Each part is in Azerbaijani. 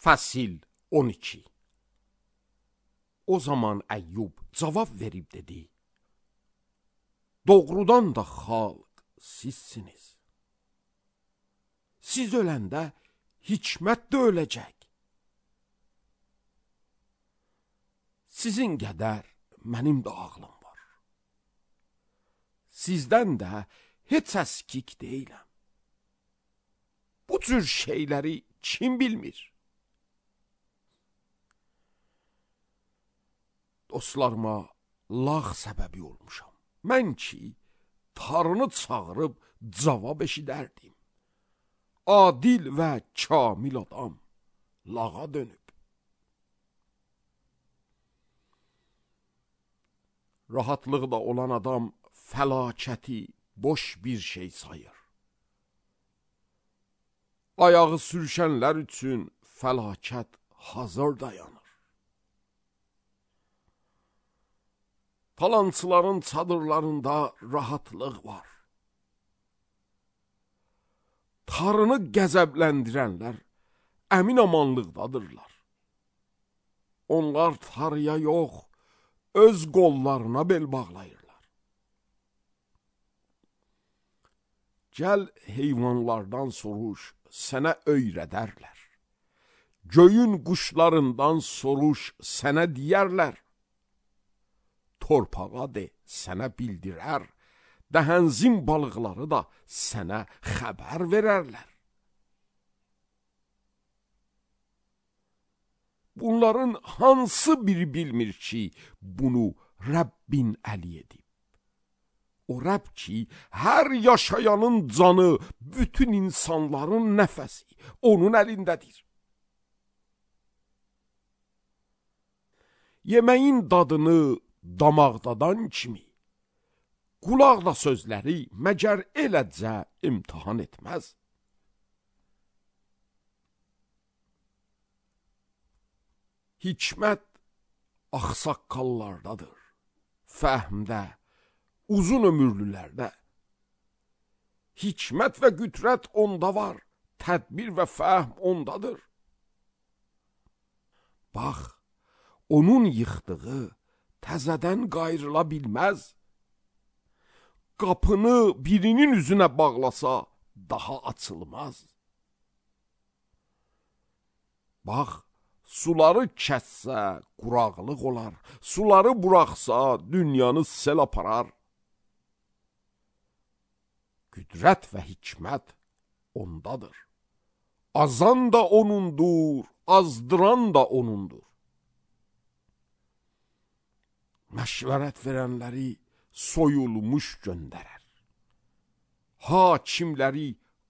Fəsil 12. O zaman Əyyub cavab verib dedi: Doğrudan da xalq sizsiniz. Siz öləndə hikmət də öləcək. Sizin qədər mənim də ağlım var. Sizdən də heç əskik deyiləm. Bu cür şeyləri kim bilmir? Dostlarıma lağ səbəbi olmuşam. Mən ki, Tanrını çağırıb cavab eşidərdim. Adil və kamil adam lağa dönüb. Rahatlıqda olan adam fəlakəti boş bir şey sayır. Ayağı sürüşənlər üçün fəlakət hazır dayanır. Talançıların çadırlarında rahatlıq var. Tanrını qəzəbləndirənlər əmin-amanlıqdadırlar. Onlar Tanrıya yox, öz qollarına bel bağlayırlar. Gəl heyvanlardan soruş, sənə öyrədərlər. Göyün quşlarından soruş, sənə deyərlər. Torpağa de, sənə bildirər. Dəhənzin balıqları da sənə xəbər verərlər. Bunların hansı biri bilmir ki, bunu Rəbbin əli edib? O Rəbb ki, hər yaşayanın canı, bütün insanların nəfəsi onun əlindədir. Yeməyin dadını damaqdadan kimi, qulaq da sözləri məgər eləcə imtihan etməz. Hikmət ağsaqqallardadır, fəhmdə, uzun ömürlülərdə. Hikmət və qüdrət onda var, tədbir və fəhm ondadır. Bax, onun yıxdığı təzədən qayrıla bilməz. Qapını birinin üzünə bağlasa, daha açılmaz. Bax, suları kəssə, quraqlıq olar. Suları buraxsa, dünyanı sel aparar. Qüdrət və hikmət ondadır. Azan da onundur, azdıran da onundur. Məşvərət verənləri soyulmuş göndərər. Hakimləri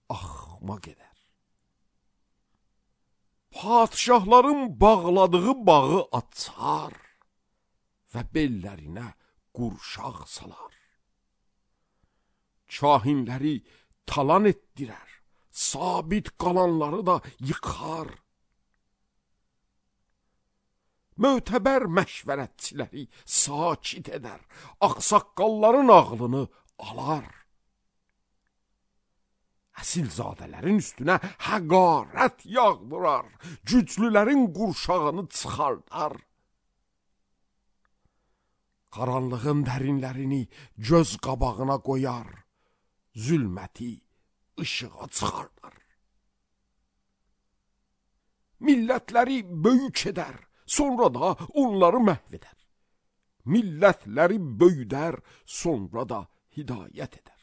axmaq edər. Padişahların bağladığı bağı açar və bellərinə qurşaq salar. Kahinləri talan etdirər, sabit qalanları da yıxar. Mötəbər məşvərətçiləri sakit edər, ağsaqqalların ağlını alar. Əsilzadələrin üstünə həqarət yağdırar, güclülərin qurşağını çıxardar. Qaranlığın dərinlərini göz qabağına qoyar, zülməti işığa çıxardar. Millətləri böyük edər, sonra da onları məhv edər. Millətləri böyüdər, sonra da hidayət edər.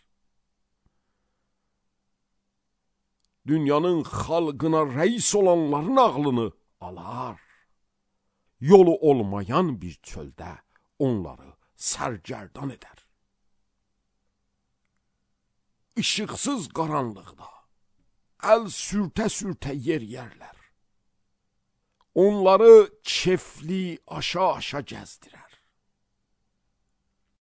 Dünyanın xalqına rəis olanların ağlını alar. Yolu olmayan bir çöldə onları sərgərdan edər. İşıqsız qaranlıqda əl sürtə-sürtə yerlər. Onları kefli aşa-aşa gəzdirər.